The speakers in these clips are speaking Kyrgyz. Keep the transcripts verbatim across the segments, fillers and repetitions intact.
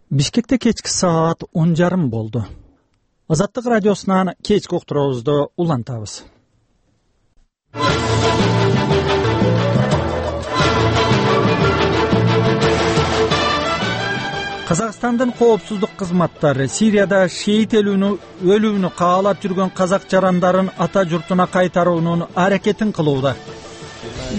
Бишкекте кечки саат он жарым болду. Азаттык радиосунан кечки уктуруубузду улантабыз. Казакстандын коопсуздук кызматтары Сирияда шейит өлүүнү каалап жүргөн казак жарандарын ата журтуна кайтаруунун аракетин кылууда.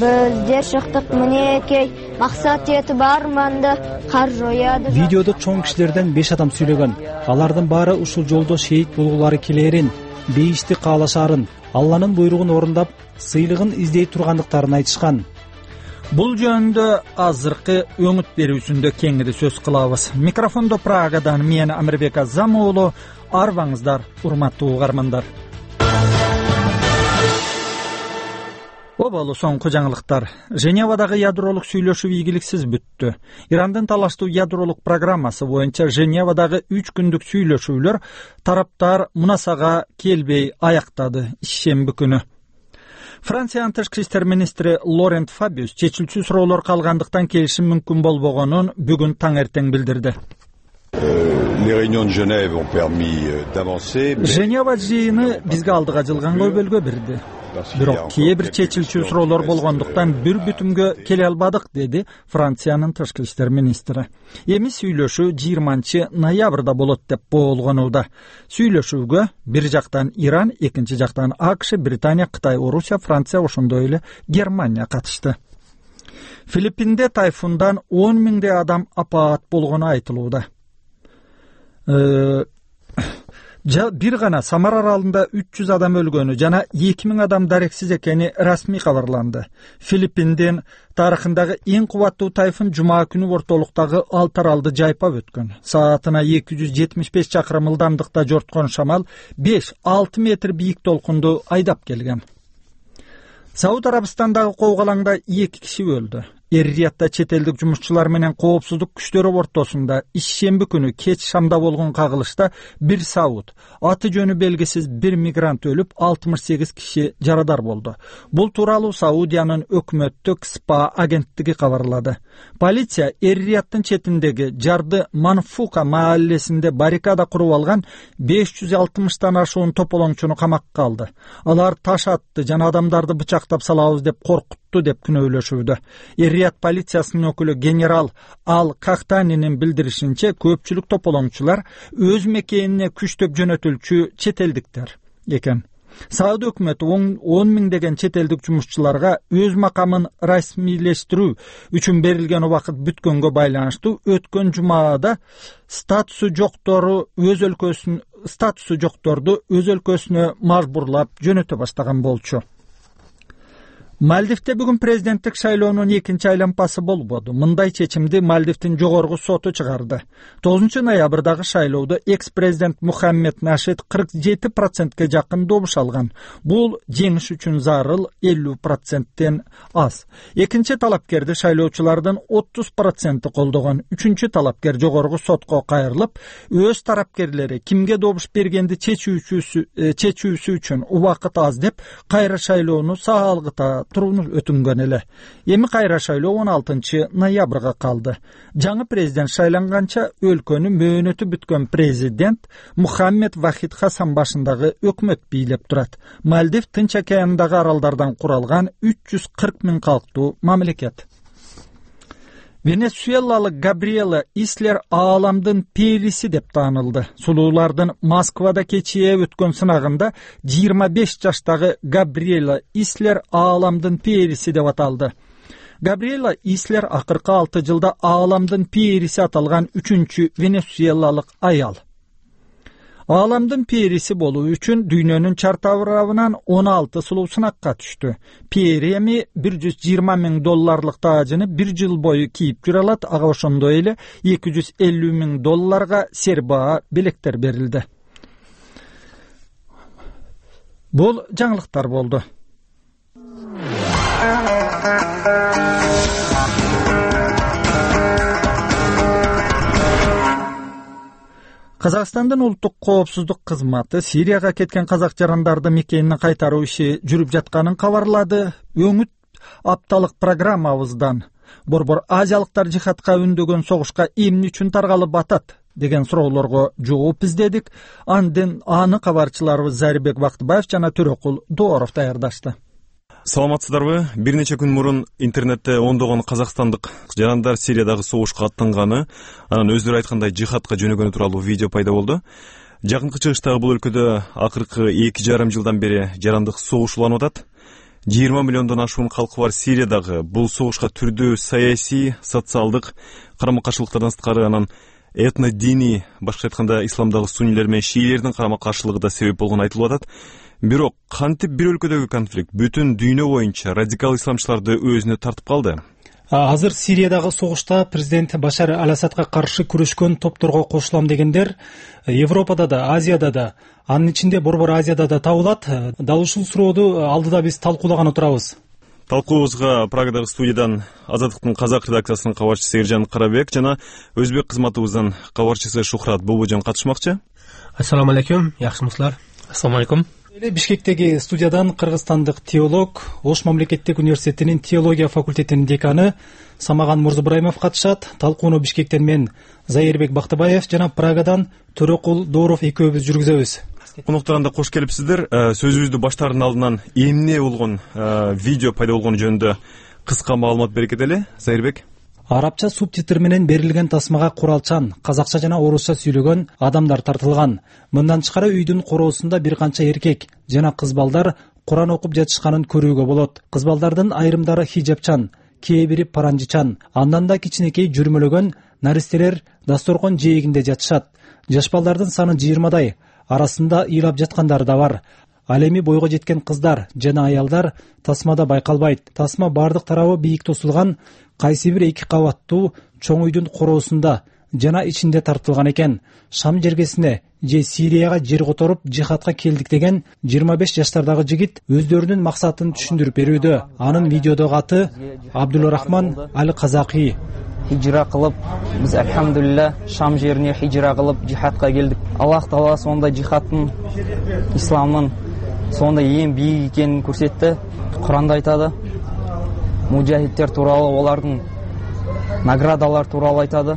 Біз жер шыктык мынекей максат эти барманды кар жояды. Видеодо чоң кишилерден беш адам сүйлөгөн. Алардын баары ушул жолдо шейит болуулары келерин, бейишти каалашаарын, Алланын буйругун орундап, сыйлыгын издей тургандыктарын айтышкан. Бул жөнүндө азыркы өңүт берүүсүндө кеңири сөз кылабыз. Микрофондо Прагадан мен Амирбек Азам уулу, арбаңыздар, урматтуу угармандар. Обалы соңку жаңылыктар. Женевадагы ядролук сүйлөшүү ийгиликсиз бүттү. Ирандын талаштуу ядролук программасы боюнча Женевадагы үч күндүк сүйлөшүүлөр тараптар мунасага келбей аяктады ишемби күнү. Франциянын тышкы иштер министри Лорент Фабиус чечилчү суроолор калгандыктан келишим мүмкүн болбогонун бүгүн таң эртең билдирди. Женева жыйыны бизге алдыга жылган көйбөлгө берди. Бирок кээ бир чечилчү суроолор болгондуктан бир бүтүмгө келе албадык, деди Франциянын тышкы иштер министри. Эми сүйлөшүү жыйырманчы ноябрда болот деп боолгонууда. Сүйлөшүүгө бир жактан Иран, экинчи жактан АКШ, Британия, Кытай, Орусия, Франция, ошондой эле Германия катышты. Филиппинде тайфундан он миңдей адам апаат болгону айтылууда. Бир гана Самар аралында үч жүз адам өлгөнү жана эки миң адам дарексиз экени расмий кабарланды. Филиппиндин тарыхындагы эң кубаттуу тайфун жума күнү ортолуктагы алты аралды жайпап өткөн. Саатына эки жүз жетимиш беш чакырым ылдамдыкта жорткон шамал беш алты метр бийик толкунду айдап келген. Сауд Арабистандагы коогалаңда эки киши өлдү. Эр-Риядда чет элдик жумушчулар менен коопсуздук күчтөрү ортосунда ишемби күнү кеч шамда болгон кагылышта бир сауд, аты жөнү белгисиз бир мигрант өлүп, алтымыш сегиз киши жарадар болду. Бул тууралуу Саудиянын өкмөттүк СПА агенттиги кабарлады. Полиция Эр-Рияддын четиндеги Жарды Манфука мааллесинде баррикада куруп алган беш жүз алтымыштан ашуун тополоңчуну камакка алды. Алар таш атты жана адамдарды бычактап салабыз деп коркутту деп күнөөлөшүүдө. Эр-Рияд полициясынын өкүлү генерал Ал Кахтанинин билдиришинче, көпчүлүк тополоңчулар өз мекенине күчтөп жөнөтүлчү чет элдиктер экен. Сауд өкмөтү он миңдеген чет элдик жумушчуларга өз макамын расмийлештирүү үчүн берилген убакыт бүткөнгө байланыштуу өткөн жумаада статусу жоктору өз өлкөсүн статусу жокторду өз өлкөсүнө мажбурлап жөнөтө баштаган болчу. Мальдивде бүгүн президенттик шайлоонун экинчи айланпасы болбоду. Мындай чечимди Мальдивдин жогорку соту чыгарды. тогузунчу ноябрдагы шайлоодо экс-президент Мухаммед Нашид кырк жети процентке жакын добуш алган. Бул жеңиш үчүн зарыл элүү проценттен аз. Экинчи талапкерди шайлоочулардын отуз проценти колдогон. Үчүнчү талапкер жогорку сотко кайрылып, өз тарапкерлери кимге добуш бергенди чечүүсү үчүн убакыт аз деп кайра шайлоону саалгыта турууну өтүнгөн эле. Эми кайра шайлоо он алтынчы ноябрга калды. Жаңы президент шайланганча өлкөнү мөөнөтү бүткөн президент Мухаммед Вахид Хасан башындагы өкмөт бийлеп турат. Мальдив Тынч океанындагы аралдардан куралган үч жүз кырк миң калктуу мамлекет. Венесуэлалык Габриэла Ислер ааламдын периси деп таанылды. Сулуулардын Москвада кечээ өткөн сынагында жыйырма беш жаштагы Габриэла Ислер ааламдын периси деп аталды. Габриэла Ислер акыркы алты жылда ааламдын периси аталган үчүнчү венесуэлалык аял. Ааламдын периси болуу үчүн дүйнөнүн чартабырабынан он алты сулуу сынакка түштү. Пери эми бир жүз жыйырма миң долларлык таажыны бир жыл бою кийип жүрө алат. Ага ошондой эле эки жүз элүү миң долларга сербаа белектер берилди. Бул жаңылыктар болду. Казакстандын улуттук коопсуздук кызматы Сирияга кеткен казак жарандарды мекенине кайтаруу иши жүрүп жатканын кабарлады. Өңүт апталык программабыздан Борбор азиялыктар жихадка үндөгөн согушка эмне үчүн таргалып атат деген суроолорго жооп издедик. Анден аны кабарчыларыбыз Зарибек Бактыбаев жана Төрөкул Дооров даярдашты. Саламатсыздарбы? Бир нече күн мурун интернетте ондогон казакстандык жарандар Сириядагы согушка аттанганы, анан өздөрү айткандай жихадка жөнөгөнү тууралуу видео пайда болду. Жакынкы чыгыштагы бул өлкөдө акыркы эки жарым жылдан бери жарандык согуш уланып атат. жыйырма миллиондон ашуун калкы бар Сириядагы бул согушка түрдүү саясий, социалдык карама-каршылыктардан сырткары анан этно-диний, башкача айтканда исламдагы суннилер менен шиилердин карама-каршылыгы да себеп болгону айтылып атат. Бирок кантип бир өлкөдөгү конфликт бүтүн дүйнө боюнча радикал исламчыларды өзүнө тартып калды? Азыр Сириядагы согушта президент Башар аль-Асадка каршы күрөшкөн топторго кошулам дегендер Европада да, Азияда да, анын ичинде Борбор Азияда да табылат. Дал ушул сурооду алдыда биз талкуулаган отурабыз. Талкуубузга Прагадагы студиядан Азаттыктын казак редакциясынын кабарчысы Эржан Карабек жана өзбек кызматыбыздын кабарчысы Шухрат Бубужан катышмакчы. Ассаламу алейкум, жакшымысыздар? Ассаламу алейкум. Бишкектеги студиядан кыргызстандык теолог, Ош мамлекеттик университетинин теология факультетинин деканы Самаган Мурзабраимов катышат. Талкууну Бишкектен мен Зарибек Бактыбаев жана Прагадан Төрөкул Дооров экөөбүз жүргүзөбүз. Коноктарында кош келипсиздер. Сөзүбүздү баштаардын алдынан эмне болгон видео пайда болгону жөнүндө кыска маалымат бере кетели, Зарибек. Арабча субтитр менен берилген тасмага куралчан, казакча жана орусча сүйлөгөн адамдар тартылган. Мындан тышкары үйдүн короосунда бир канча эркек жана кыз балдар Куран окуп жатышканын көрүүгө болот. Кыз балдардын айрымдары хижапчан, кээ бири паранжычан, андан да кичинекей жүрмөлөгөн наристелер дасторкон жээгинде жатышат. Жаш балдардын саны жыйырмадай, арасында ыйлап жаткандары да бар. Ал эми бойго жеткен кыздар жана аялдар тасмада байкалбайт. Тасма бардык тарабы бийик тосулган, кайсы бир эки кабаттуу чоң үйдүн короосунда жана ичинде тартылган экен. Шам жергесине же Сирияга жер которуп жихадка келдик деген жыйырма беш жаштардагы жигит өздөрүнүн максатын түшүндүрүп берүүдө. Анын видеодогу аты Абдулрахман Аль-Казакий. Хижра кылып, биз алхамдулилла Шам жерине хижра кылып жихадка келдик. Аллах Таала сонда жихадтын, исламдын сонда эң бийик экенин көрсөттү. Куранда айтады. Мужахидтер тууралуу, олардын наградалар тууралуу айтады.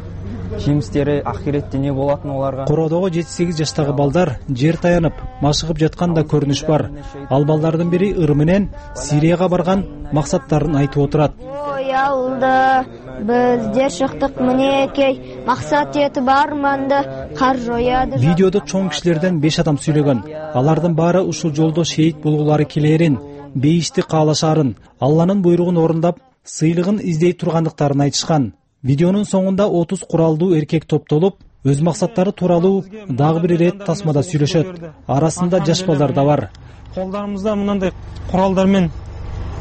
Жемистери ахиретте не болатын оларга. Короодогу жети сегиз жаштагы балдар жер таянып, машыгып жатканда көрүнүш бар. Ал балдардын бири ыр менен Сирияга барган максаттарын айтып отурат. Ой алда, биз жер шыктык мнекей, максат этип барманды кар жояды. Видеодо чоң кишилерден беш адам сүйлөгөн. Алардын баары ушул жолдо шейит болгулары келерин, бейишти каалашаарын, Алланын буйругун орундап, сыйлыгын издей тургандыктарын айтышкан. Видеонун соңунда отуз куралдуу эркек топтолуп, өз максаттары тууралуу дагы бир ирет тасмада сүйлөшөт. Арасында жаш балдар да бар. Колдарыбызда мындай куралдар менен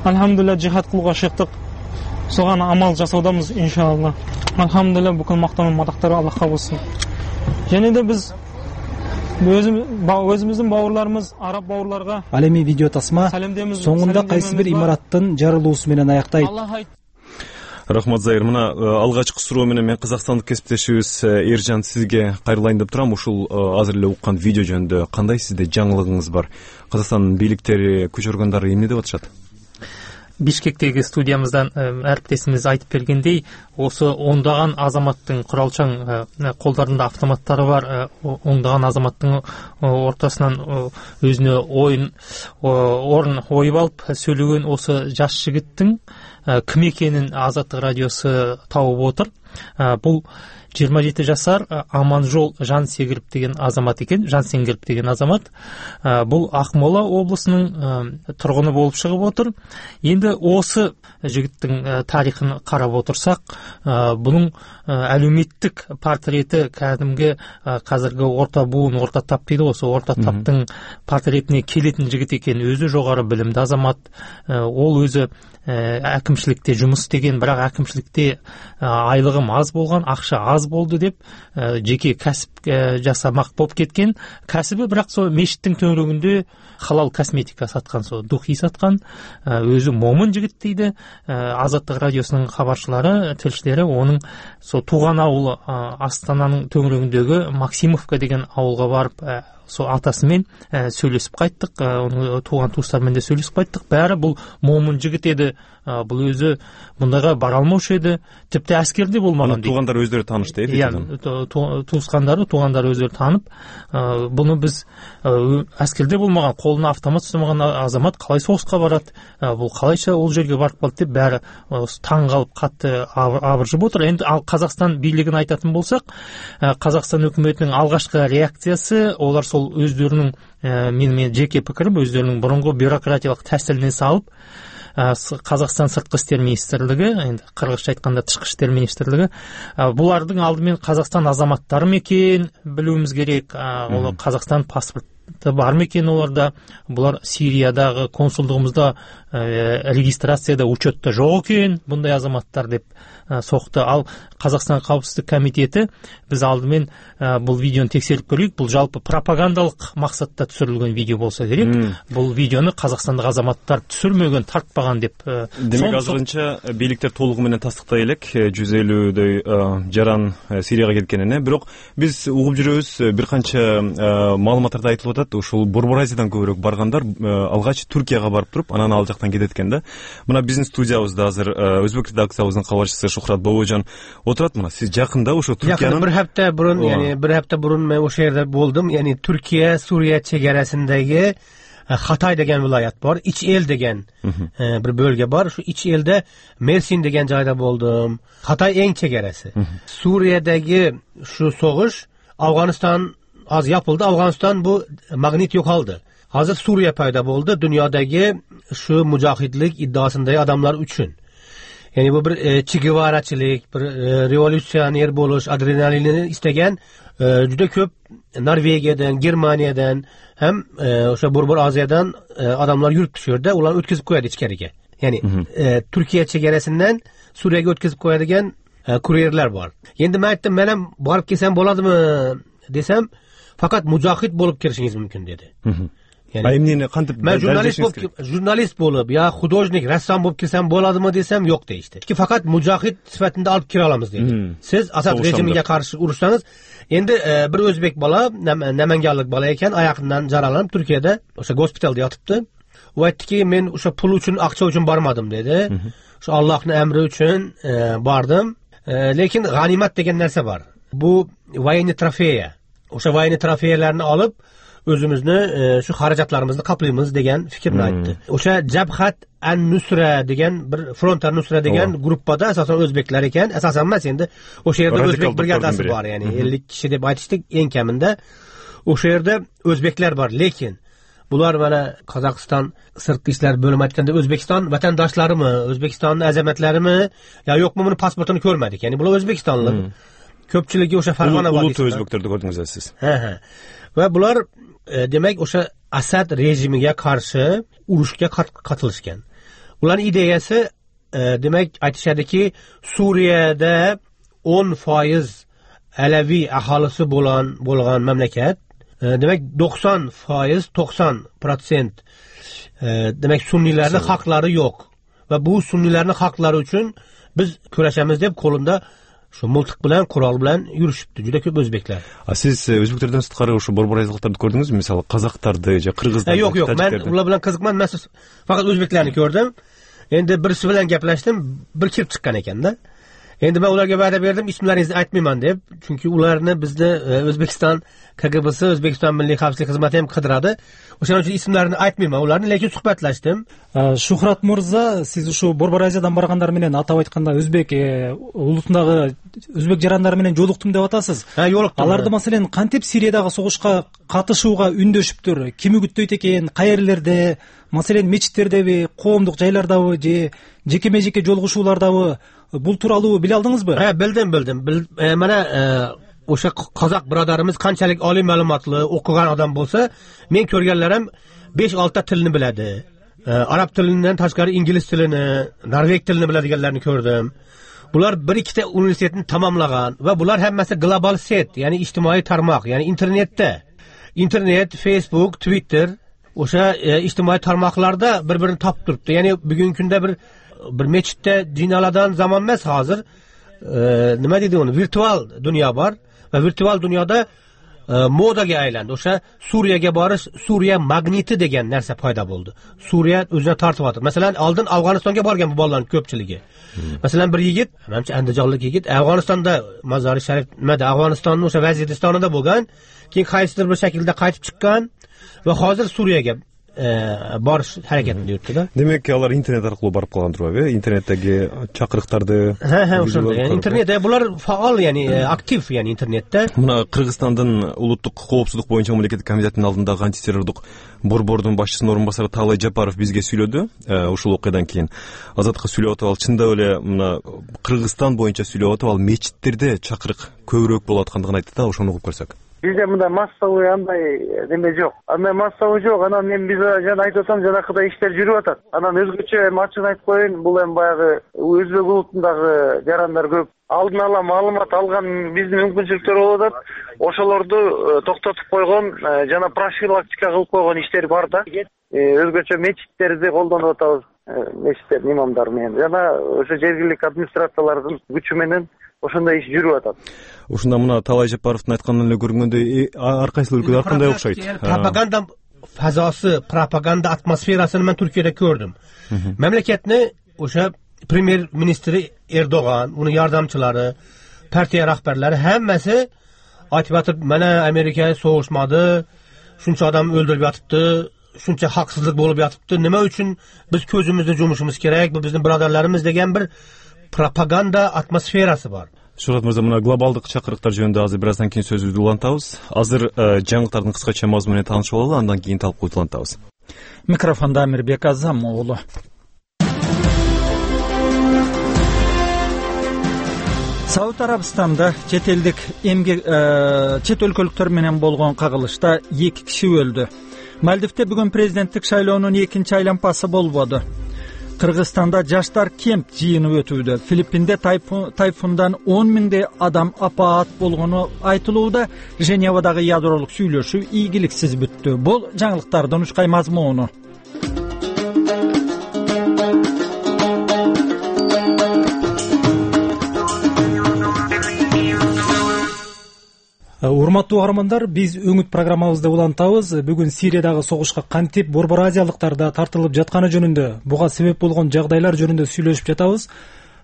алхамдулилла жихад кылууга чыктык. Соган амал жасаудамыз иншалла. Алхамдулилла бүкүл мактануу мадактары Аллахка болсун. Және де биз өзүбүздүн бауырларыбыз, араб бауырларга ал эми видео тасма соңунда кайсы бир имараттын жарылуусу менен аяктайт. Рахмат Зайыр. Мына алгачкы суроо менен мен казакстандык кесиптешибиз Эржан сизге кайрылайын деп турам. Ушул азыр эле уккан видео жөнүндө кандай сизде жаңылыгыңыз бар? Казакстандын бийликтери, күч органдары эмне деп атышат? Бишкектеги студиямыздан әріптесimiz айтып бергендей, осы ондаган азаматтың куралчаң колдарында автоматтары бар, ондаган азаматтың ортасынан өзүнө ойын орун ойып алып сөйлөгөн осы жаш жигиттин ким экенин Азаттык радиосу табып отур. Бул жыйырма жети жашар Аманжол Жансеңгирип деген азамат экен. Жансеңгирип деген азамат бул Акмола облусунун тургуну болуп чыгып отур. Энди осы жигиттин тарихын карап отурсак, бунун әлеуметтик портрети кәдимги казыркы орта буун, орта тап дейди, осы орта таптын портретине келетін жигит экен. Өзү жогору билимдүү азамат, ол өзү әкімшілікте жұмыс істеген, бірақ әкімшілікте айлығым аз болған, ақша аз болды деп жеке кәсіп жасамақ болып кеткен. Кәсібі бірақ сол мешіттің төңірегінде халал косметика сатқан, сол духи сатқан. Өзі момын жігіт дейді. Азаттык радиосының хабаршылары, тілшілері оның сол туған ауылы Астананың төңірегіндегі Максимовка деген ауылға барып сол атасы менен сүйлөшүп кайттык, онун тууган туустары менен да сүйлөшүп кайттык. Баары бул момун жигит эди, бул өзү мындайга бара алмакчы эди, типти аскерде болмаган. Туугандары өздөрү таанышты эди. Туускандары, туугандары өздөрү таанып, буну биз аскерде болмаган, колуна автомат ұстамаган азамат калай согуска барат, бул калайча ал жерге барып калды деп баары таң калып катты абыржып отур. Эми ал Казакстан бийлигин айтатын болсак, Казакстан өкмөтүнүн алгачкы реакциясы, олар сол өздөрүнүн, менин жеке пикирим, өздөрүнүн мурунку бюрократиялык тәсилине салып, Казакстан сырткы иштер министрлиги, энди кыргызча айтканда тышкы иштер министрлиги, булардын алды менен Казакстан азаматтары мекен билүүбүз керек, ол Казакстан паспорты бар мекен оларда, булар Сириядагы консулдугубузда регистрацияда, учетто жок экен мындай азаматтар деп сокты. Ал Казакстан Каупсуздук комитети биз алды менен бул видеону текшерип көрөйүк, бул жалпы пропагандалык максатта түшүрүлгөн видео болсо керек. Бул видеону казакстандык азаматтар түшүрмөгөн, тартпаган деп. Демек азырынча бийликтер толугу менен тастыктай элек жүз элүүдөй жаран Сирияга кеткенине. Бирок биз угуп жүрөбүз, бир канча маалыматтарда айтылып атат, ушул Борбор Азиядан көбүрөөк баргандар алгач Түркияга барып туруп, анан ал жактан кетет экен да. Мына биздин студиябызда азыр өзбек редакциябыздын кабарчысы Шухрат Бобойжан отурат. Мына сиз жакында ошо Түркиянын бир хапта бурун, яни бир хапта бурун мен ошол жерде болдум. Яни Түркия Сурия чегарасындагы Хатay деген вилаят бар, Ич эл деген бир бөлгө бар. Ушу Ич элде Мерсин деген жайда болдум. Хатay эң чегарасы. Суриядагы ушу согуш Афганистан аз япылды. Афганистан бу магнит жокалды. Азыр Сурия пайда болду дүйнөдөгү ушу мужахидлик иддаасындагы адамдар үчүн. Yani bu bir e, Che Guevara'çılık, bir e, revolüsyoner boluş, adrenalini istegen e, juda köp Norvegiyadan, Germaniyadan hem e, o'sha Borbor Aziyadan e, adamlar yurip düşürdü. Ular ötkizip koyadi ichkariga. Yani e, Turkiya chegarasidan Suriyaga ötkizip koyadigan e, kuryerler var. Endi men aytdim, men ham borib kelsam bo'ladimi desam, faqat mujohid bo'lib kirishingiz mumkin dedi. Yani, emneni qantib men jurnalist bo'lib, jurnalist bo'lib, yo xudojnik, rassom bo'lib kelsam bo'ladimi desam, yo'q deyishdi. Ki faqat mujohid sifatida olib kira olamiz dedi. Siz Asad rejimiga qarshi urishsangiz, endi e, bir o'zbek bola, namanganlik bola ekan, oyoqidan jaralanib Turkiyada o'sha gospitalda yotibdi. U aytdiki, men o'sha pul uchun, aqcha uchun bormadim dedi. O'sha Allohning amri uchun e, bordim. E, lekin g'animat degan narsa bor. Bu voyniy trofeya. O'sha voyniy trofeyalarni olib özümüzni e, şu xarajatlarımızı qaplaymiz degan fikrni aytdi. O'sha Jabhat an-Nusra degan bir Front an-Nusra degan gruppada asosan o'zbeklar ekan, asosan emas, endi o'sha yerda o'zbek brigadasi bor, ya'ni ellik kishi deb aytishdik eng kamida. O'sha yerda o'zbeklar bor, lekin bular mana Qozog'iston sirtqi ishlar bo'limi aytganda O'zbekiston vatandoshlarimi, O'zbekistonning azamatlarimi yo yo'qmi, buni pasportini ko'rmadik. Ya'ni bular O'zbekistonlik. Ko'pchiligi o'sha Farg'ona vodiysi. Ulut o'zbeklarni ko'rdingiz siz. Ha ha. Va bular e, demek o'sha Asad rejimiga qarshi urushga qatılışgan. Ularning ideyasi e, demek aytishadiki, Suriyada o'n foiz Alavi aholisi bo'lan bo'lgan mamlakat, e, demek doksan foiz, to'qson prosent e, demek Sunniylarning haqlari yo'q. Va bu Sunniylarning haqlari uchun biz kurashamiz deb qo'linda şu multiq bilan, qurol bilan yurishibdi juda ko'p o'zbeklar. A siz o'zbeklardan sirtqari o'sha Borbor Aziyaliklarni ko'rdingizmi? Masalan, qozoqlarni, jo qirg'izlarni. Yo'q, yo'q, men ular bilan qiziqmadim. Men faqat o'zbeklarni ko'rdim. Endi birisi bilan gaplashdim, bir kirib chiqqan ekanda. Endi men ularga va'da berdim, ismlaringizni aytmayman deb, chunki ularni bizni O'zbekiston K G B'si, O'zbekiston Milliy xavfsizlik xizmati ham qidiradi. O'shaning uchun ismlarini aytmayman ularni, lekin suhbatlashdim. Shuhrat Murza, siz shu Borbor Азиядан баргандар менен атап айтканда өзбек улутундагы өзбек жарандар менен жолуктум деп атасыз. Ha, жолуктум. Аларды маселен кантип Сириядагы согушка катышууга үндөшүптүр? Ким үгүттөйт экен? Кайерлерде? Маселен мечиттердеби, коомдук жайлардабы же жеке-межеке жолугушуулардабы? Бул тууралуу биле алдыңызбы? Ha, bildim, bildim. Bil, e, mana o'sha qozoq birodarimiz qanchalik oliy ma'lumotli, o'qigan odam bo'lsa, men ko'rganlarim besh olti tilni biladi. E, arab tilidan tashqari ingliz tilini, norveg tilini biladiganlarni ko'rdim. Bular bir ikkita universitetni tamomlagan va bular hammasi global set, ya'ni ijtimoiy tarmoq, ya'ni internetda. Internet, Facebook, Twitter, o'sha e, ijtimoiy tarmoqlarda bir-birini topib turibdi. Ya'ni bugungi kunda bir bir mechitda dinaladan zaman emas hozir. E, nima deydi uni? Virtual dunyo bor va virtual dunyoda модага айланды. Ошо Сурияга барыш, Сурия магнити деген нерсе пайда болду. Сурия өзүнө тартып атат. Маселен, алдын Афганистанга барган бу балалардын көпчүлүгү. Маселен, бир yigit, менимче андыжалык yigit, Афганистанда Мазари Шариф, немеде Афганистандын ошо Вазиристанында болгон, кийин кайсыдыр бир шакилде кайтып чыккан ва азыр Сурияга барыш аракетинде өттү да. Демек, алар интернет аркылуу барып калгандыр беле? Интернеттеги чакырыктарды. Ha, ошондой. Интернет, булар фаал, яни актив, яни интернетте. Мына Кыргызстандын улуттук коопсуздук боюнча мамлекеттик комитетинин алдындагы антитеррордук борбордун башчысынын орун басары Таалай Жапаров бизге сүйлөдү. Ушул окуядан кийин Азатка сүйлөп атып, ал чындап эле мына Кыргызстан боюнча сүйлөп атып, ал мечиттерде чакырык көбүрөөк болуп аткандыгын айтты да, ошону угуп көрсөк. Бизде мындай массовый андай неме жок. Андай массовый жок. Анан мен биз жана айтып атам, жанакыдай иштер жүрүп атат. Анан өзгөчө эми ачыгын айтып коеюн, бул эми баягы өзбек улутундагы жарандар көп алдын ала маалымат алган биздин мүмкүнчүлүктөр болуп атат. Ошолорду токтотуп койгон жана профилактика кылып койгон иштер бар да. Өзгөчө мечиттерди колдонуп атабыз. Мечиттердин имамдары менен жана ошо жергиликтик администрациялардын күчү менен ошондой иш жүрүп атат. Ушунда мына Таалай Жапаровдун айтканынан эле көргөндөй, ар кайсы өлкөдө ар кандай окшойт. Пропаганда фазасы, пропаганда атмосферасын мен Түркияда көрдүм. Мамлекетни ошо премьер-министри Эрдоган, унун жардамчылары, партия рахбарлары хаммасы айтып атып, мына Америка согушмады, шунча адам өлдүрүп атыпты, шунча хаксыздык болуп жатыпты, неме үчүн биз көзүмүздү жумушубуз керек, бул биздин бирадарларыбыз деген бир пропаганда атмосферасы бар. Шурат мырза, мына глобалдык чакырыктар жөнүндө азыр бир аздан кийин сөзүбүздү улантабыз. Азыр жаңылыктардын кыскача мазмуну менен таанышып алалы, андан кийин талкууну улантабыз. Микрофондо Амирбек Азам уулу. Сауд Арабистанда чет элдик эмгек чет өлкөлүктөр менен болгон кагылышта эки киши өлдү. Мальдивде бүгүн президенттик шайлоонун экинчи айланпасы болбоду. Кыргызстанда жаштар кемп жыйыны өтүүдө. Филиппинде тайфундан он миңдей адам апаат болгону айтылууда. Женевадагы ядролук сүйлөшүү ийгиликсиз бүттү. Бул жаңылыктардын учкай мазмуну. Урматтуу каармандар, биз өңүт программабызды улантабыз. Бүгүн Сириядагы согушка кантип борбор азиялыктар да тартылып жатканы жөнүндө, буга себеп болгон жагдайлар жөнүндө сүйлөшүп жатабыз.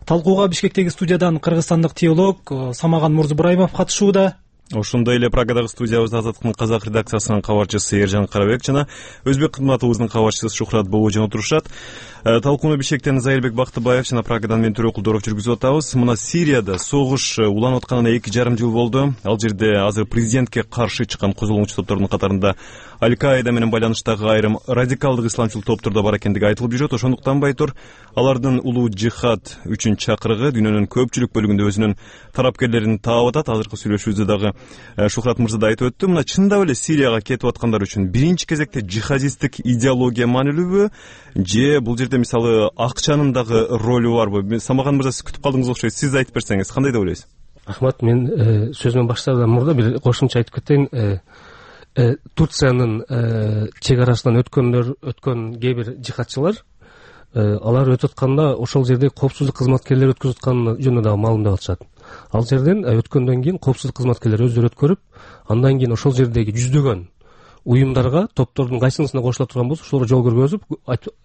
Талкууга Бишкектеги студиядан кыргызстандык теолог Самаган Мурзубраимов катышууда. Ошондой эле Прагадагы студиябызда Азаттыктын казак редакциясынын кабарчысы Эржан Карабек жана өзбек кызматыбыздын кабарчысы Шухрат Боожон отурушат. Талкууну Бишкектен Зайырбек Бактыбаев жана Прагадан мен Төрө Кулдоров жүргүзүп атабыз. Мына Сирияда согуш уланып атканына эки жарым жыл болду. Ал жерде азыр президентке каршы чыккан козголгончу топтордун катарында Аль-Каида менен байланыштагы айрым радикалдык исламчыл топтор да бар экендиги айтылып жүрөт. Ошондуктан байтур алардын улуу жихад үчүн чакырыгы дүйнөнүн көпчүлүк бөлүгүндө өзүнүн тарапкерлерин таап атат. Азыркы сүйлөшүүбүздө дагы Шухрат мырза да айтып өттү. Мына чындап эле Сирияга кетип аткандар үчүн биринчи кезекте жихадисттик идеология маанилүүбү же бул жерде мисалы акчанын дагы ролу барбы? Самаган мырза, сиз күтүп калдыңыз окшойт. Сиз айтып берсеңиз, кандай деп ойлойсуз? Рахмат, мен сөзүмөн баштаардан мурда бир кошумча айтып кетейин. Турциянын чек арасынан өткөндөр, өткөн кээ бир жихадчылар, алар өтүп атканда ошол жерде коопсуздук кызматкерлери өткөзүп атканы жөнүндө дагы маалымдап атышат. Ал жерден өткөндөн кийин коопсуздук кызматкерлери өздөрү өткөрүп, андан кийин ошол жердеги жүздөгөн уюмдарга, топтордун кайсынысына кошула турган болсо, ошолорго жол көргөзүп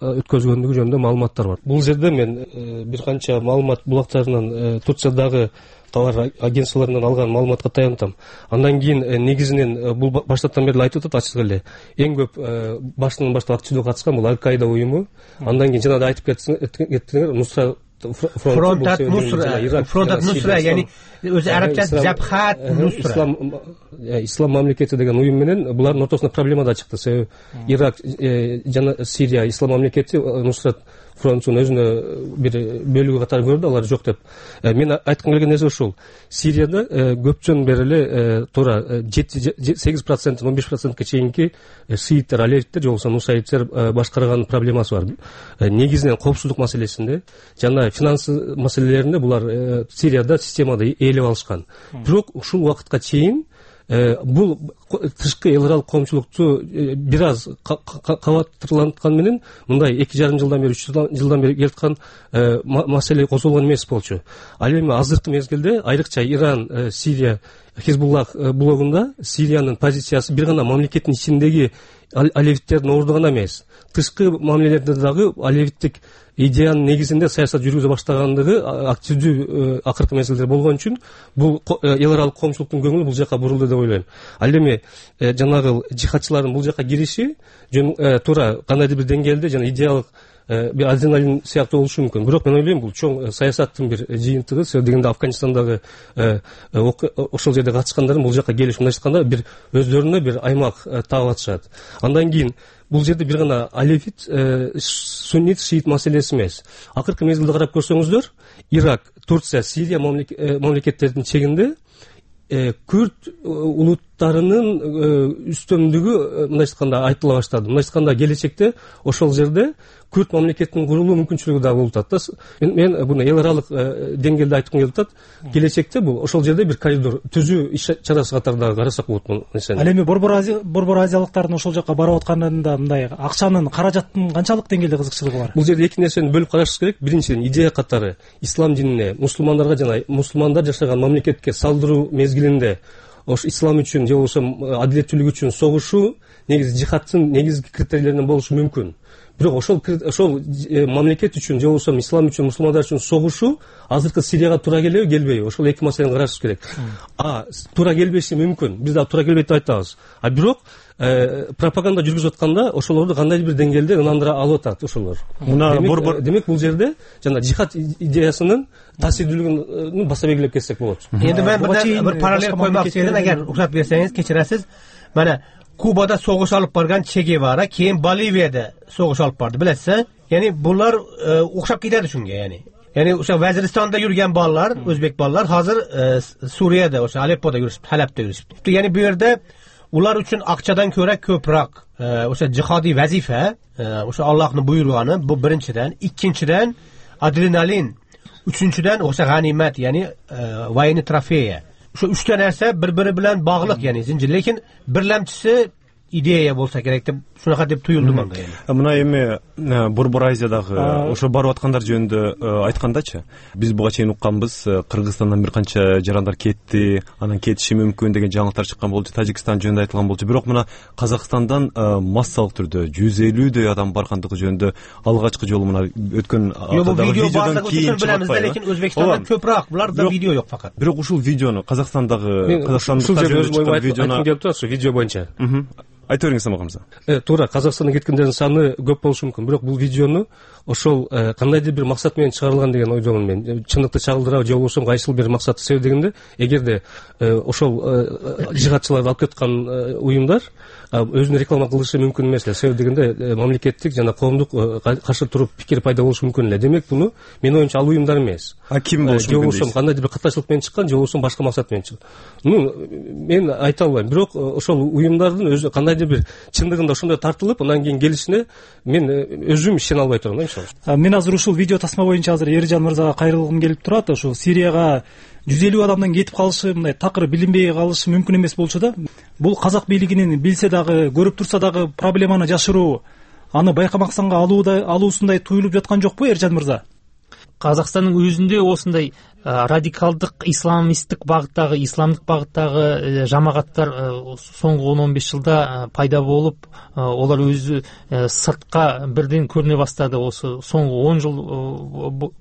өткөзгөндүгү жөнүндө маалыматтар бар. Бул жерде мен бир канча маалымат булактарынан, Турциядагы товар агентстволорунан алган маалыматка таянтам. Андан кийин негизинен бул баштаптан бери айтып атат, ачык эле. Эң көп башынан баштап активдүү катышкан бул Аль-Каида уюму. Андан кийин жана да айтып кеттиңер, Нусра Фронтат Нусра, Фронтат Нусра, яни өзү арабчасы Жабхат Нусра. Ислам Ислам мамлекети деген уюм менен булардын ортосунда проблема да чыкты. Себеби Ирак жана Сирия Ислам мамлекети Нусрат фронтунун өзүнө бир бөлүгү катары көрдү, алар жок деп. Мен айткым келген нерсе ушул. Сирияда көптөн бери эле туура сегиз процент, он беш процентке чейинки шииттер, алевиттер, же болбосо нусайиттер башкарган проблемасы бар. Негизинен коопсуздук маселесинде жана финанс маселелеринде булар Сирияда системада ээлеп алышкан. Бирок ушул убакытка чейин бул тышкы эл аралык коомчулукту бир аз кабаттырланткан менен мындай эки жарым жылдан бери үч жылдан бери келаткан маселе козголгон эмес болчу. Ал эми азыркы мезгилде айрыкча Иран, Сирия, Хизбуллах блогунда Сириянын позициясы бир гана мамлекеттин ичиндеги алевиттердин орду гана эмес, тышкы мамилелерде дагы алевиттик идеянын негизинде саясат жүргүзө баштагандыгы активдүү акыркы мезгилде болгон үчүн бул эл аралык коомчулуктун көңүлү бул жака бурулду деп ойлойм. Ал эми жанагы жихадчылардын бул жака кириши туура кандайдыр бир деңгээлде жана идеялык бир адреналин сыяктуу болушу мүмкүн. Бирок мен ойлойм бул чоң саясаттын бир жыйынтыгы. Себеби дегенде Афганистандагы ошол жерде катышкандардын бул жака келиши мындайча айтканда бир өздөрүнө бир аймак таап атышат. Андан кийин бул жерде бир гана алевит, суннит, шиит маселеси эмес. Акыркы мезгилде карап көрсөңүздөр, Ирак, Турция, Сирия мамлекеттердин чегинде күрд улуттарынын үстөмдүгү мындайча айтканда айтыла баштады. Мындайча айтканда келечекте ошол жерде күрд мамлекетинин курулуу мүмкүнчүлүгү да болуп атат. Мен буну эл аралык деңгээлде айткым келип атат. Келечекте бул ошол жерде бир коридор түзүү иш чарасы катары дагы карасак болот бул нерсени. Ал эми борбор борбор азиялыктардын ошол жака барып атканында мындай акчанын, каражаттын канчалык деңгээлде кызыкчылыгы бар? Бул жерде эки нерсени бөлүп карашыбыз керек. Биринчиден, идея катары ислам динине, мусулмандарга жана мусулмандар жашаган мамлекетке салдыруу мезгилинде ош ислам үчүн же болбосо адилеттүүлүк үчүн согушуу негизи жихадтын негизги критерийлеринен болушу мүмкүн. Бирок ошол ошол мамлекет үчүн же болбосо ислам үчүн, мусулмандар үчүн согушуу азыркы Сирияга туура келеби, келбейби? Ошол эки маселени карашыбыз керек. А туура келбеши мүмкүн. Биз да туура келбейт деп айтабыз. А бирок пропаганда жүргүзүп атканда ошолорду кандайдыр бир деңгээлде ынандыра алып атат ошолор. Мына борбор демек бул жерде жана жихад идеясынын таасирдүүлүгүн баса белгилеп кетсек болот. Энди мен бир параллель коймокчу едим, эгер уруксат берсеңиз, кечиресиз. Мана Кубада согуш алып барган Че Гевара кийин Боливияда согуш алып барды, билесиз? Яни булар окшоп кетет ушунга, яни. Яни ошо Вазиристанда жүргөн балдар, өзбек балдар азыр Сурияда, ошо Алеппода жүрүшүп, Халапта жүрүшүп. Яни бу жерде улар үчүн акчадан көрө көбүрөөк ошо жихади вазифа, ошо Аллахтын буйруганы, бу биринчиден, экинчиден адреналин, үчүнчүдөн ошо ганимат, яни военный трофея. Ошо үчтө нерсе бири-бири менен баглык, яни зинжир. Лекин бирлемчиси идея болса керек деп шунака деп туюлду мага. Мына эми Борбор Азиядагы ошо барып аткандар жөнүндө айткандачы, биз буга чейин укканбыз, Кыргызстандан бир канча жарандар кетти, анан кетиши мүмкүн деген жаңылыктар чыккан болчу, Тажикстан жөнүндө айтылган болчу. Бирок мына Казакстандан массалык түрдө жүз элүүдөй адам баргандыгы жөнүндө алгачкы жолу мына өткөн аптадагы видеодон кийин билебиз, лекин Өзбекстанда көпүрөөк, буларда видео жок факат. Бирок ушул видеону Казакстандагы Казакстандыктар жөнүндө чыккан видеону келип турат, видео боюнча. Айта бериңиз Самат мырза. Э, туура, Казакстандан кеткендердин саны көп болушу мүмкүн, бирок бул видеону ошол кандайдыр бир максат менен чыгарылган деген ойдомун мен. Чындыкты чагылдырабы же болбосо кайсыл бир максаты себеп дегенде, эгерде ошол жихадчыларды алып кеткан уюмдар өзүнө реклама кылышы мүмкүн эмес эле. Себеп дегенде мамлекеттик жана коомдук каршы туруп пикир пайда болушу мүмкүн эле. Демек буну менин оюмча ал уюмдар эмес. А ким болушу мүмкүн? Же болбосо кандайдыр бир катачылык менен чыккан, же болбосо башка максат менен чыккан. Ну, мен айта албайм, бирок ошол уюмдардын өзү кандайдыр бир чындыгында ошондой тартылып, андан кийин келишине мен өзүм ишене албай турам да, иншалла. Мен азыр ушул видео тасма боюнча азыр Эржан мырзага кайрылгым келип турат. Ошо Сирияга жүз элүү адамдан кетип калышы, мындай такыр билинбей калышы мүмкүн эмес болчу да. Бул казак бийлигинин билсе дагы, көрүп турса дагы проблеманы жашыруу, аны байкамаксанга алуусундай туюлуп жаткан жокпу, Эржан мырза? Казакстандын өзүндө осундай радикалдык исламисттик багыттагы, исламдык багыттагы жамагаттар соңку он он беш жылда пайда болуп, олар өзү сыртка бирден көрүнө баштады. Осы соңку он жыл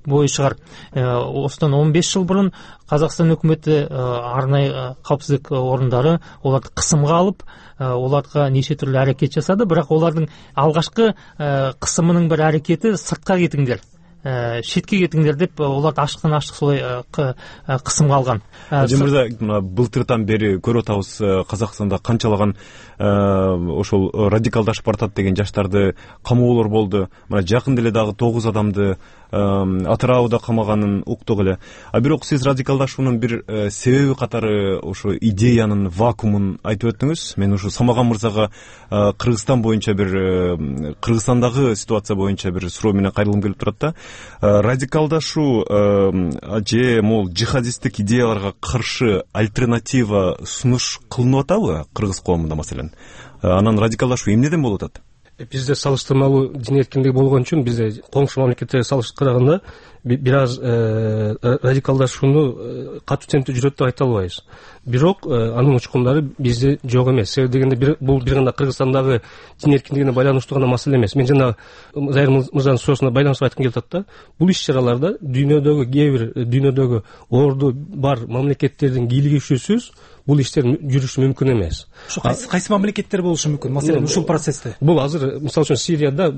бою чыгар. Осудан он беш жыл мурун Казакстан өкмөтү арнайы капсыздык орундары оларды кысымга алып, оларга нече түрлүү аракет жасады, бирок олардын алгачкы кысымынын бир аракети сыртка кетиңдер, шетке кетиңдер деп оларды ашыктан ашык солай кысымга алган. Эржан мырза, мына былтыртан бери көрүп атабыз, Казакстанда канчалаган ошол радикалдашып баратат деген жаштарды камоолор болду. Мына жакын деле дагы тогуз адамды Атырауда камаганын уктук эле. А бирок сиз радикалдашуунун бир себеби катары ошо идеянын вакуумун айтып өттүңүз. Мен ушу Самаган мырзага Кыргызстан боюнча бир Кыргызстандагы ситуация боюнча бир суроо менен кайрылгым келип турат да. радикалдашуу же могул жихадисттик идеяларга каршы альтернатива сунуш кылынып атабы кыргыз коомунда маселен? Анан радикалдашуу эмнеден болуп атат? Бизде салыштырмалуу дин эркиндиги болгон үчүн бизде коңшу мамлекеттерге салыштырганда бир аз радикалдашууну катуу темпте жүрөт деп айта албайбыз. Бирок анын учкундары бизде жок эмес. Себеби дегенде бул бир гана Кыргызстандагы дин эркиндигине байланыштуу гана маселе эмес. Мен жана Зайыр мырзанын суроосуна байланыштырып айткым келип атат да. Бул иш-чараларда дүйнөдөгү кээ бир дүйнөдөгү орду бар мамлекеттердин кийлигишүүсүз бул иштер жүрүшү мүмкүн эмес. Ушу кайсы мамлекеттер болушу мүмкүн? Маселен, ушул процессте. Бул азыр мисалы үчүн Сирияда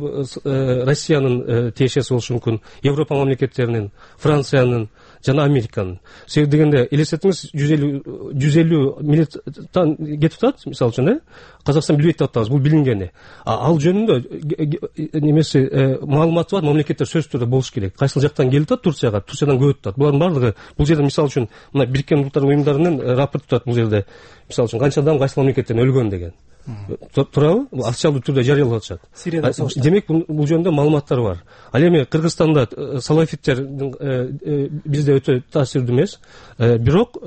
Россиянын тиешеси болушу мүмкүн, Европа мамлекеттеринин, Франциянын жана Американын. Себеби дегенде элестетиңиз, жүз элүү миллиондон кетип атат, мисалы үчүн, э? Казакстан билбейт деп атабыз, бул билингени. Ал жөнүндө немеси маалыматы бар мамлекеттер сөзсүз түрдө болуш керек. Кайсыл жактан келип атат Турцияга, Турциядан көп атат. Булардын баардыгы бул жерде мисалы үчүн мына Бириккен Улуттар уюмдарынын рапорты турат бул жерде. Мисалы үчүн канча адам кайсы мамлекеттерден өлгөн деген. Турабы? Бул официалдуу түрдө жарыялап атышат. Сирияда согуш. Демек бул жөнүндө маалыматтар бар. Ал эми Кыргызстанда салафиттер бизде өтө таасирдүү эмес. Бирок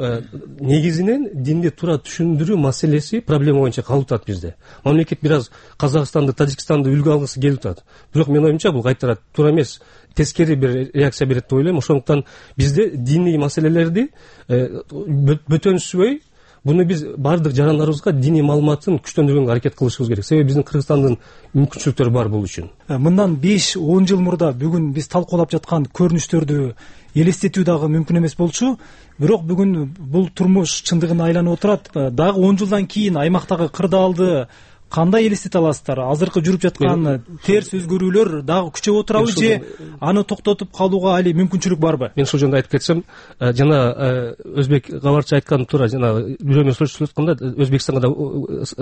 негизинен динди туура түшүндүрүү маселеси проблема боюнча калып атат бизде. Мамлекет бир аз Казакстанды, Тажикстанды үлгү алгысы келип атат. Бирок менин оюмча бул кайтара туура эмес. Тескери бир реакция берет деп ойлойм. Ошондуктан бизде диний маселелерди бөтөнсүзбөй буну биз баардык жарандарыбызга диний маалыматын күчтөндүргөнгө аракет кылышыбыз керек. Себеби биздин Кыргызстандын мүмкүнчүлүктөрү бар бул үчүн. Мындан беш он жыл мурда бүгүн биз талкуулап жаткан көрүнүштөрдү элестетүү дагы мүмкүн эмес болчу. Бирок бүгүн бул турмуш чындыгына айланып отурат. Дагы он жылдан кийин аймактагы кырдаалды кандай элестете аласыздар? Азыркы жүрүп жаткан терс өзгөрүүлөр дагы күчөп отурабы же аны токтотуп калууга али мүмкүнчүлүк барбы? Мен ушул жөнүндө айтып кетсем, жана өзбек кабарчы айткан туура, жана бирөө менен сүйлөшүп атканда Өзбекстанга да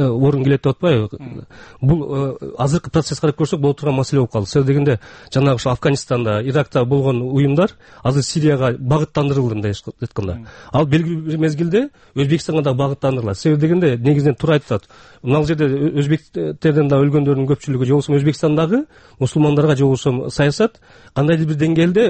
орун келет деп атпайбы? Бул азыркы процесс карап көрсөк боло турган маселе болуп калды. Себеби дегенде жанагы ошо Афганистанда, Иракта болгон уюмдар азыр Сирияга багыттандырылды мындай айтканда. Ал белгилүү бир мезгилде Өзбекстанга да багыттандырылат. Себеби дегенде негизинен туура айтып атат. Мына жерде өзбектерден да өлгөндөрдүн көпчүлүгү же болбосо Өзбекстандагы мусулмандарга же болбосо саясат кандайдыр бир деңгээлде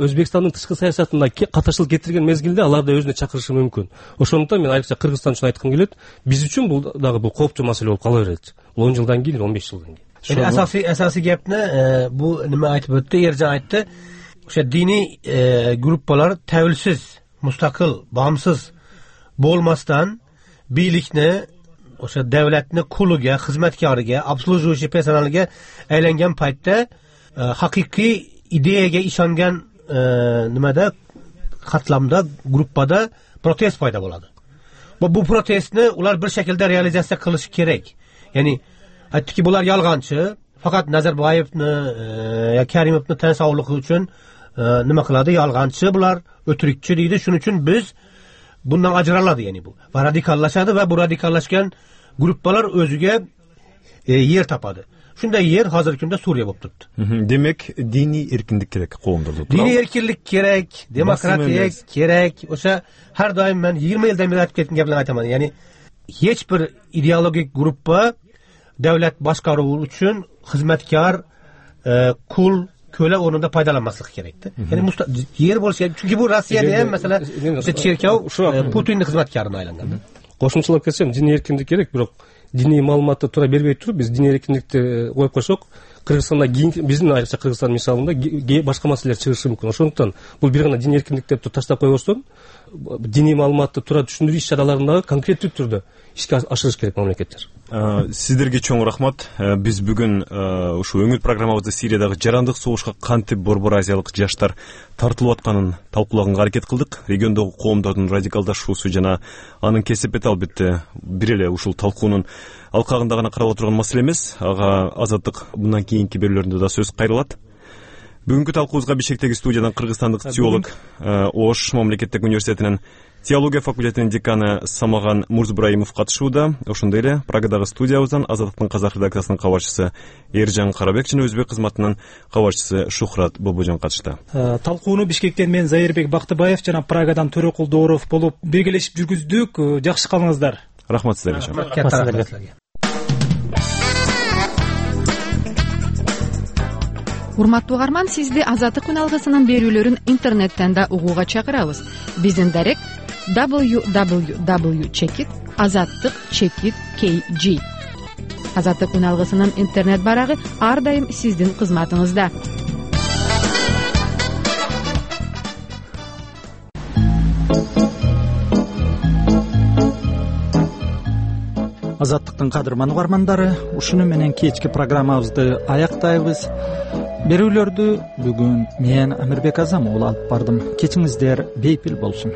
Өзбекстандын тышкы саясатына катышылык кетирген мезгилде алар да өзүнө чакырышы мүмкүн. Ошондуктан мен айрыкча Кыргызстан үчүн айткым келет, биз үчүн бул дагы бул кооптуу маселе болуп кала берет. Бул он жылдан кийин, он беш жылдан кийин. Асасий асасий гепни бу неме айтып өттү, Эржан айтты. Ошо диний группалар тәвелсиз, мустакыл, баамсыз болмастан бийликни ошо давлатны кулуга, кызматкарыга, обслуживающий персоналга айланган пайтта хакыйкый идеяга ишанган немада катламда, группада протест пайда болот. Бу протестни улар бир шекилде реализация кылыш керек. Яни айттыки булар ялганчы, факат Назарбаевни, я Каримовни тан саулыгы үчүн неме кылады, ялганчы булар, өтүрүкчү дейди. Шуның үчүн биз bundan ajraladi, yani bu. Va radikallaşadı ve bu radikallaşkan gruppalar özüge e, yer tapadı. Şunda yer hazır kunda Suriye bolup turuptu. Demek dini erkinlik gerek koğumda. Dini erkinlik gerek, demokratiya gerek. Oşa her daim ben yirmi yıldan beri aytıp ketken gaplarni aytaman. Yani hiç bir ideologik gruppa devlet başkaruvu üçün hizmetkar, e, kul, köle onunda paydalanmaslık gerekti. Yani musta yer boluş gerek. Çünkü bu Rossiyada hem mesela işte Çerkev Putin'in hizmetkarına aylangan. Кошумчалап кетсем, диний эркиндик керек, бирок диний маалыматты туура бербей туруп, биз диний эркиндикти коюп койсок, Кыргызстанда биздин айрыкча Кыргызстан мисалында башка маселелер чыгышы мүмкүн. Ошондуктан бул бир гана диний эркиндик деп таштап койбостон, диний маалыматты туура түшүндүрүү иш-чараларындагы конкреттүү түрдө ишке ашырыш керек мамлекеттер. Сиздерге чоң рахмат. Биз бүгүн ушу өңүл программабызда Сириядагы жарандык согушка кантип Борбор Азиялык жаштар тартылып атканын талкуулаганга аракет кылдык. Региондогу коомдордун радикалдашуусу жана анын кесепети албетте бир эле ушул талкуунун алкагында гана каралып отурган маселе эмес. Ага Азаттык мындан кийинки берүүлөрүндө да сөз кайрылат. Бүгүнкү талкуубузга Бишкектеги студиядан кыргызстандык теолог, Ош мамлекеттик университетинин теология факультетинин деканы Самаган Мурзбраимов катышууда. Ошондой эле Прагадагы студиябыздан Азаттыктын казак редакциясынын кабарчысы Эржан Карабек жана өзбек кызматынын кабарчысы Шухрат Бобожон катышты. Талкууну Бишкектен мен Зайырбек Бактыбаев жана Прагадан Төрөкул Дооров болуп биргелешип жүргүздүк. Жакшы калыңыздар. Рахмат сиздерге. урматтуу угарман, сизди Азаттык күн алгысынын берүүлөрүн интернеттен да угууга чакырабыз. Биздин дарек дабл ю дабл ю дабл ю чекит азаттык чекит кей джи. Азаттык күн алгысынын интернет барагы ар дайым сиздин кызматыңызда. Азаттыктын кадырман угармандары, ушуну менен кечки программабызды аяктайбыз. Берүүлөрдү бүгүн мен Амирбек Азам уулу алып бардым. Кечиңиздер бейпил болсун.